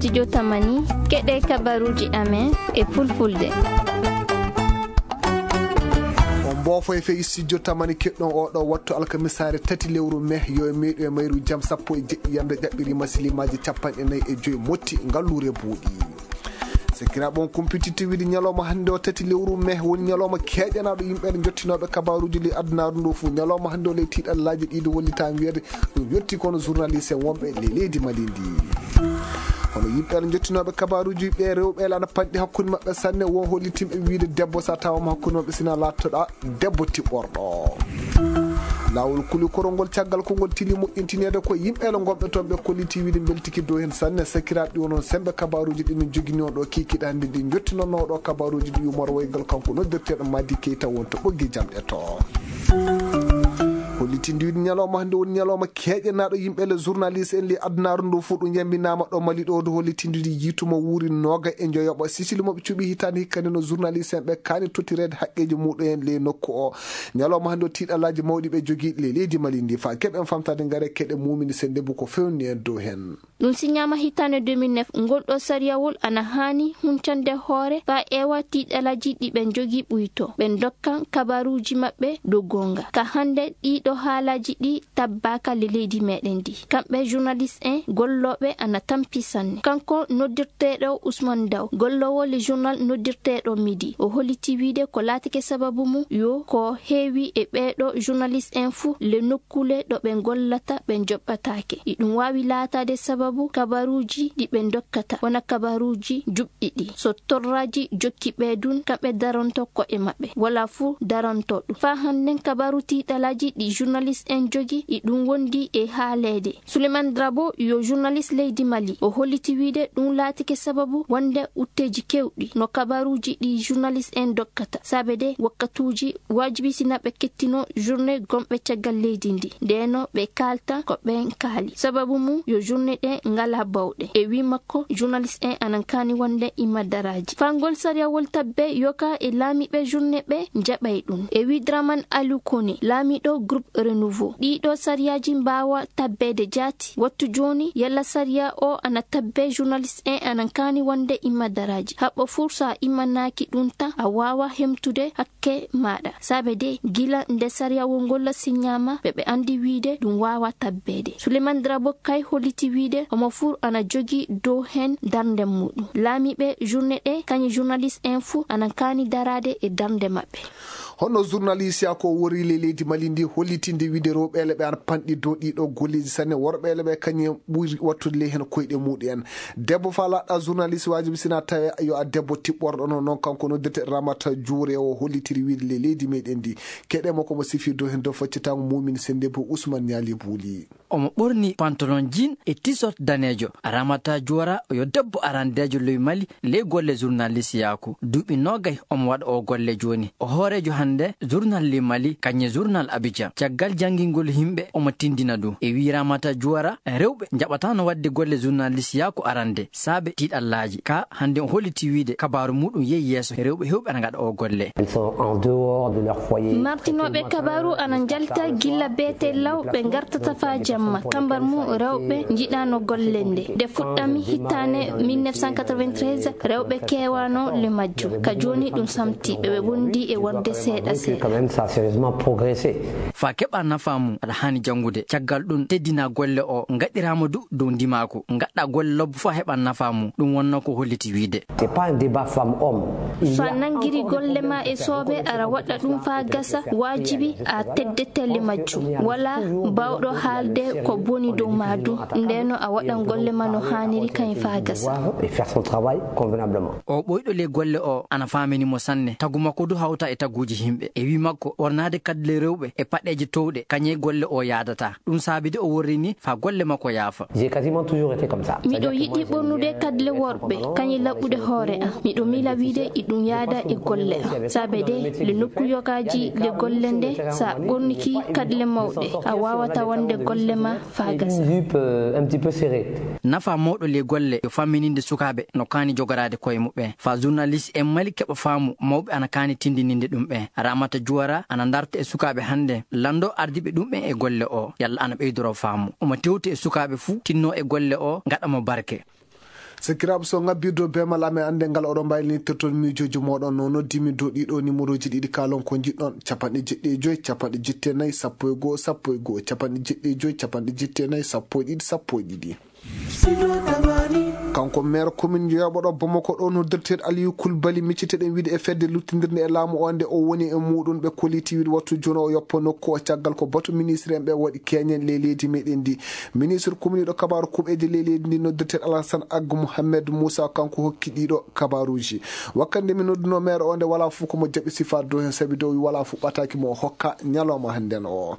studio Tamani keɗe kabaruji amen e fulfulde. Bofo e fe studio Tamani keɗɗon oɗo wattu alkamisare 3 lewru mai yo meeɗo e mayru jam 10 yande jaɓɓiri masilimaji 45 motti ngallure buuɗi. Sekira bon competitive widi nyaloma hande o 3 lewru mai woni nyaloma keƴanaɗo yimɓe jottinoɓe kabaruji li addunaru ndu fu nyaloma hande o le tiɗallaji ɗiɗo hollita wiyede ɗum yetti kono journaliste wonɓe le leydi Malindi. hono yimɓe jottinoɓe kabaruji ɓe rewɓe lana panɗi hakkude mabɓe sanne won hollitimɓe wiide debbo sa tawama hakkude mabɓe sina lattoɗa debbo tiɓɓorɗo. lawol kuli korongol caggal kongol tili moƴƴintinede ko yimɓe gonɓe toon ɓe kolliti wiide beltiki dow hen sanne sakiraɗe ɗi wonon sembe kabaruji ɗi min jogini on ɗo kikiɗa hande ɗi jottinono ɗo kabaruji ɗi yumor waygal kanko noddirteɗo Madi Keita wonto ɓoggi jamɗe to. hollitindi wiide nyaloma hande woni nyaloma keƴanaɗo yimɓe le journaliste en li addunaru ndu fu ɗum yambinama ɗo Mali ɗo do hollitindiri yituma wuuri noga e joyoɓa sisili moɓe cuuɓi hitande hikkande no journaliste en ɓe kani tottirede haqqeji muɗum le nokku o nyaloma hande o tiɗalaji mawɗi ɓe joguiɗi le leydi Mali ndi fa keɓen famtade gaare keɗe mumini sende bu ko fewni en dow hen. ɗum siñama hitande 2009 gonɗo sariyawol ana hani huncande hoore fa ewa tiɗalaji ɗi ɓe jogui ɓuyto ɓen dokkan kabaruji mabɓe dow gonga ka hande ɗiɗo haalaji ɗi tabbaka le leydi meɗen ndi kamɓe journaliste en golloɓe ana tampi sanne. Kanko noddirteɗo Ousmane Daw gollowo le journal noddirteɗo Midi o holliti wiide ko laatake sababu mum yo ko heewi e ɓeɗo journaliste en fu le nokkule ɗo ɓe gollata ɓe joɓɓatake ɗum wawi laatade sababu kabaruji ɗi ɓe dokkata wona kabaruji juɓɗiɗi so torraji jokki ɓeydun kamɓe daronto ko'e maɓɓe wala fu daronto ɗum fa hannen kabaru tiɗalaji ɗi journaliste en jogi ɗum wondi e haalede. Souleymane Drabo yo journaliste leydi Mali o holliti wiide ɗum laatike sababu wonde utteji kewɗi no kabaruji ɗi journaliste en dokkata sabede wakkatuji wajibi sina ɓe kettino journée gomɓe caggal leydi ndi ndeno ɓe kalta ko ɓen kaali sababu mum yo journée ɗe ngala bawɗe e wi makko journaliste en anan kani wonde imadaraji fangol sariyawol tabbe yoka e laamiɓe journée ɓe jaɓay ɗum e wi Draman Aliou Kone laamiɗo groupe Renouveau ɗiɗo sariyaji mbawa tabbede jaati wattu joni yalla sariya o ana tabbe journaliste en anan kani wonde imadaraji haɓɓo fursa imanaki ɗum tan a wawa hemtude hakke maɗa sabede gila nde sariyawol ngol siñama ɓe andi wiide ɗum wawa tabbede. Souleymane Drabo kay holliti wiide omo fur ana jogi dow hen darde muɗum laamiɓe journée ɗe kañi journaliste en fu anan kani darade e darde maɓɓe. hono journaliste ya ko wori le leydi Mali ndi hollitinde wiide rewɓele ɓe ana panɗi dow ɗiɗo golleji sanne worɓele ɓe kañum ɓuri wattude le hen koyɗe muɗum en debbo fa laɗɗa journaliste wajibi sina tawi yo a debbo tiɓɓorɗo noon kanko noddete Ramata Diouré o hollitiri wiide le leydi meɗen ndi keɗemo komo sifi dow hen dow faccitago mumini sende bo Ousmane Niali Bouli omo ɓorni pantalon jean e t-shirt danejo. Ramata Diouré yo debbo arandejo ley Mali ley golle journaliste yaku duuɓi nogay omo waɗa o golle joni o hoorejo hande journal le Mali kañe journal Abidjan caggal jangingol himɓe omo tindina ɗum e wi Ramata Diouré rewɓe jaɓatano wadde golle journaliste yaku arande saabe tiɗallaji ka hande o holliti wiide kabaru muɗum yehi yeeso rewɓe hewɓe ana gaɗa o golle. martinoɓe kabaru ana jalta gilla beete law ɓe gartata fa jamma kambar mu rewɓe jiɗano golle nde fuɗɗami hittane 1993 rewɓe kewano le majju ka joni ɗum samti ɓe wondi e wonde seeɗa fa keɓa nafamu aɗa hani jangude caggal ɗum teddina golle o gaɗirama dow ndimaku gaɗɗa golle lobbo fo heɓa nafamu ɗum wonno ko holliti wiide fa nangiri golle ma e soobe ara waɗa ɗum fa gasa wajibi a teddetelle majju wala bawɗo haalde ko boni dow madu ndeno a waɗan golle ma no haniri kañ fa gasa o ɓoyɗo le golle o ana faminimo sanne tagu makko du hawta e taguji himɓe e wi makko ɓornade kadle rewɓe e paɗeje towɗe kañe golle o yadata ɗum saabide o worrini fa golle makko yaafa. miɗo yiɗi ɓornude kadle worɓe kañi laɓɓude hoore am miɗo mila wiide iɗum yaada e golle am saabede le nokku yogaji le golle nde sa ɓorniki kadle mawɗe a wawata wonde golle ma fa gasa. nafa mawɗo le golle yo fammininde sukaɓe no kani jogorade koye muɓɓe fa journaliste en Mali keɓa faamu mawɓe ana kani tindininde ɗum ɓe. Ramata Diouré ana darta e sukaɓe hande lando ardiɓe ɗum ɓe e golle o yalla ana ɓeydoro faamu omo tewti e sukaɓe fuu tinno e golle o gaɗamo barke. Sakiraɓe so ngabbido bemal amen ande ngal oɗo mbaylinirton miijoji moɗon no noddimi dow ɗiɗo numéroji ɗiɗi kalon ko jiɗɗon 75 74 11 11 75 74 11 kanko maire commune yoɓoɗo Bamako ɗo noddirteɗo Aliou Coulibaly micciteɗen wiide e fedde luttidirde e laamu o nde o woni e muɗum ɓe koliti wiide wattu joni o yoppa nokku o caggal ko batu ministre en ɓe waɗi keñen le leydi meɗen ndi ministre commune ɗo kabaru kuɓeje le leydi ndi noddirteɗo Alassane Aggo Mouhamed Moussa kanko hokki ɗiɗo kabaruji wakkande mi nodduno maire o nde wala fuu komo jaɓi sifar dow hen saabi dow wala fuu ɓataki mo hokka ñalawma hannden o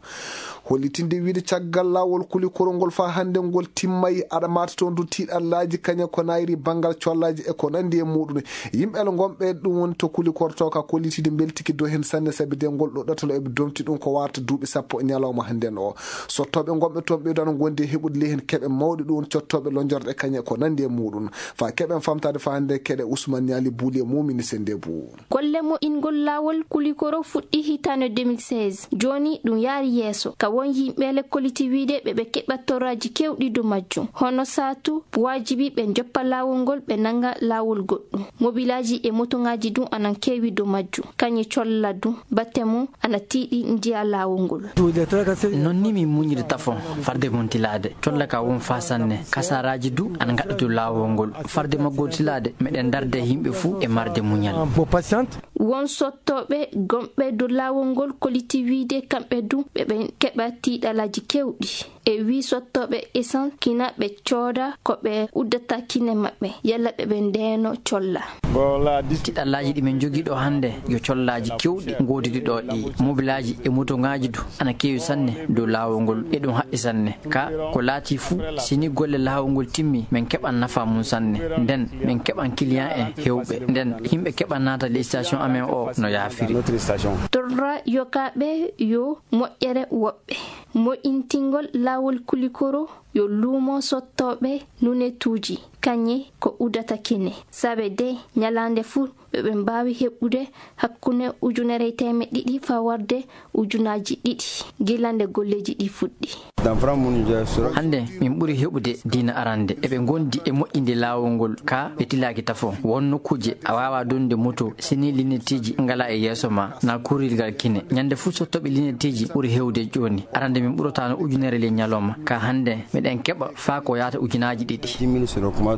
hollitinde wiide caggal lawol kulikoro ngol fa hande ngol timmayi aɗa mata toon du tiiɗallaji kaña ko nayri banggal collaji e ko nandi e muɗum yimɓe gonɓe ɗum woni to kulikorto ka kollitide beltiki dow hen sanne saabi de ngol ɗo ɗatalo eɓe domti ɗum ko warta duuɓi sappo ñalawma hannden o sottoɓe gonɓe toon ɓeydano gondi e heɓude ley hen keɓe mawɗi ɗum cottoɓe lojorde kaña ko nandi e muɗum fa keɓen famtade fa hande keɗe Ousmane Niali Bouli e mumini sende bou golle mo ingol lawol kulikoro fuɗɗi hitande 2016 joni ɗum yaari yeeso ka won yimɓele kolliti wiide ɓeɓe keɓat torraji kewɗi do majjum hono satu wajibi ɓe joppa lawol ngol ɓe nanga lawol goɗɗum mobilaji e motoŋaji dum anan kewi do majjum kañi colla dum batte mum ana tiiɗi njiya lawol ngol nonni mi muñiri tafon farde mon tilade colla ka won fa sanne kasaraji du ana gaɗa dow lawol ngol farde maggol tilade meɗen darde yimɓe fuu e marde muñal won sottoɓe gonɓe dow lawol ngol kolliti wiide kamɓe du ɓeɓe keɓa tiiɗalaji kewɗi e wi sottoɓe essence kina ɓe cooda ko ɓe uddata kine maɓɓe yalla ɓeɓe ndeno colla tiɗallaji ɗi min jogui ɗo hande yo collaji kewɗi godidi ɗo ɗi mobilaji e motoŋaji du ana kewi sanne dow lawol ngol e ɗum haqqi sanne ka ko laati fuu sini golle lawol ngol timmi min keɓan nafa mum sanne nden min keɓan client en hewɓe nden yimɓe keɓan nata les station amen o no yaafiri torra yokaɓe yo moƴƴere woɓɓe moƴintingol lawol kulikoro yo luumo sottoɓe nunetuji kañe ko udata kine sabe de ñalande fuu ɓeɓe mbawi heɓɓude hakkunde 1,200 fa warde 2,000 gilande golleji ɗi fuɗɗi hande min ɓuuri heɓude dina arande eɓe gondi e moƴƴinde lawol ngol ka ɓe tilaki tafo won nokkuje a wawa donde moto sini lineteji ngala e yeeso ma na kurilgal kine ñande fuu sottoɓe lineteji ɓuuri hewde joni arande min ɓurotano 1,000 le ñalawma ka hande meɗen keɓa fa ko yata 2,000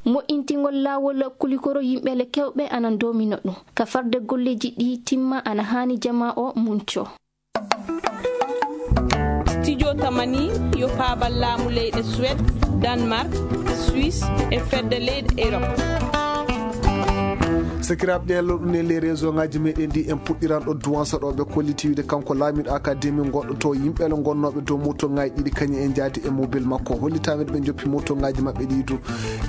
mo'intingol lawol kulikoro yimɓele kewɓe anan domino ɗum ka farde golleji ɗi timma ana hani jama o munco studio tamani yo paabal laamu leyɗe Suède Danemark Suisse e fedde leyɗe Europe sakiraɓe ɗen ɗum les réseau ngaji meɗen ndi en puɗɗiran ɗo duwansa ɗo ɓe kolliti wiide kanko laamiɗo académie gonɗo to yimɓele gonnoɓe dow moto ngaji ɗiɗi kañum en jaadi e mobile makko hollitameɗe ɓe joppi moto ngaji mabɓe ɗi du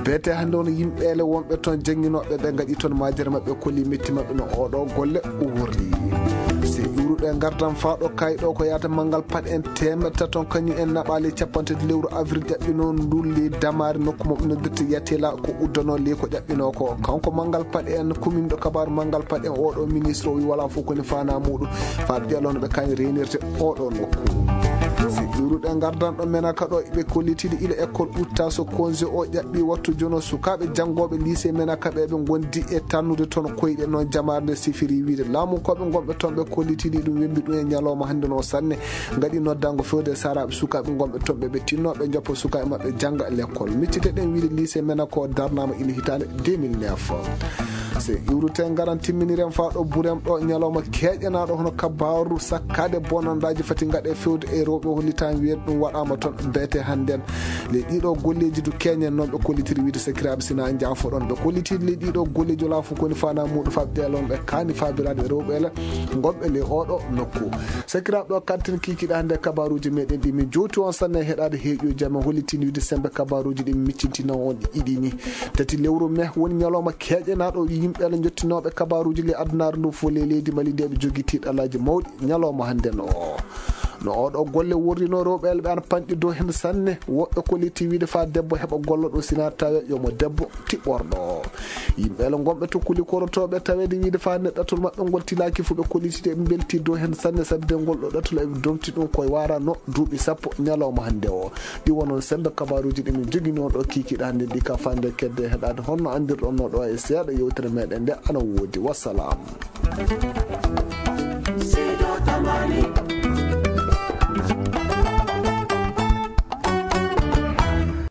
beete hande on yimɓele wonɓe toon jangguinoɓe ɓe gaɗi toon majere mabɓe kolli metti mabɓe no oɗo golle uwori si iwruɗe gardan faɗo kayɗo ko yata manggal pat en temetta toon kañum en naɓali 50 lewru avril ƴaɓɓino ndulli damari nokku moɓe noddirta yetela ko uddano le ko ƴaɓɓino ko kanko manggal pat en commune ɗo kabaru manggal pat en oɗo ministre o wi wala fof koni fana muɗum fa ƴelono ɓe kañum réunirte oɗo nokku si iwruɗe gardan ɗo menaka ɗo ɓe kollitide ila école utta so congé o ƴaɓɓi wattu jono sukaɓe janggoɓe lycée menaka ɓe gondi e tannude toon koyɗe noon jamare nde sifiri wiide laamukoɓe gonɓe toon ɓe kollitiɗi ɗum wembi ɗum e ñalawma hande no sanne gaɗi noddango fewde saraɓe sukaɓe gonɓe toon ɓe tinnoɓe joppa sukaɓe mabɓe jangga l'école micciteɗen wiide lycée menaka o darnama ila hitande 2009 se iwruten garan timminiren faɗo burem ɗo ñalawma keƴanaɗo hono kabaru sakkade bonandaji fati gaɗe fewde e rewɓe hollitami wiyen ɗum waɗama toon beete hannden le ɗiɗo golleji du keñen noon ɓe kollitiri wiide sakiraɓe sina jaafoɗon ɓe kollitiri le ɗiɗo golleji wala fof koni fana muɗum faɓe ɗelon ɓe kani fabirade rewɓele gonɓe le oɗo nokku sakiraɓe ɗo kantin kikiɗa hande kabaruji meɗen ɗi min jowti on sanne heɗade heeƴoji amen hollitini wiide sembe kabaruji ɗi min miccintino on ɗiɗini tati lewru me woni ñalawma keƴanaɗo yimɓele jottinoɓe kabaruji le addunaru ndu fo le leydi Mali nde ɓe jogui tiɗalaji mawɗi ñalawma hande no no oɗo golle wurdino rewɓe elɓe an panɗi dow hen sanne woɓɓe koliti wiide fa debbo heɓa golloɗo sina tawe yomo debbo tiɓɓorɗo yimɓe ele gonɓe to kuli korotoɓe tawede wiide fa ne ɗatol mabɓe ngol tilaki fu ɓe kolitide ɓe belti dow hen sanne sabde ngol ɗo ɗatol eɓe domti ɗum koye warano duuɓi sappo ñalawma hande o ɗi wonon sembe kabaruji ɗi min jogui on ɗo kikiɗa hande ɗi ka fande kedde heɗade honno andirɗon no ɗo e seeɗa yewtere meɗen nde ana woodi wassalam.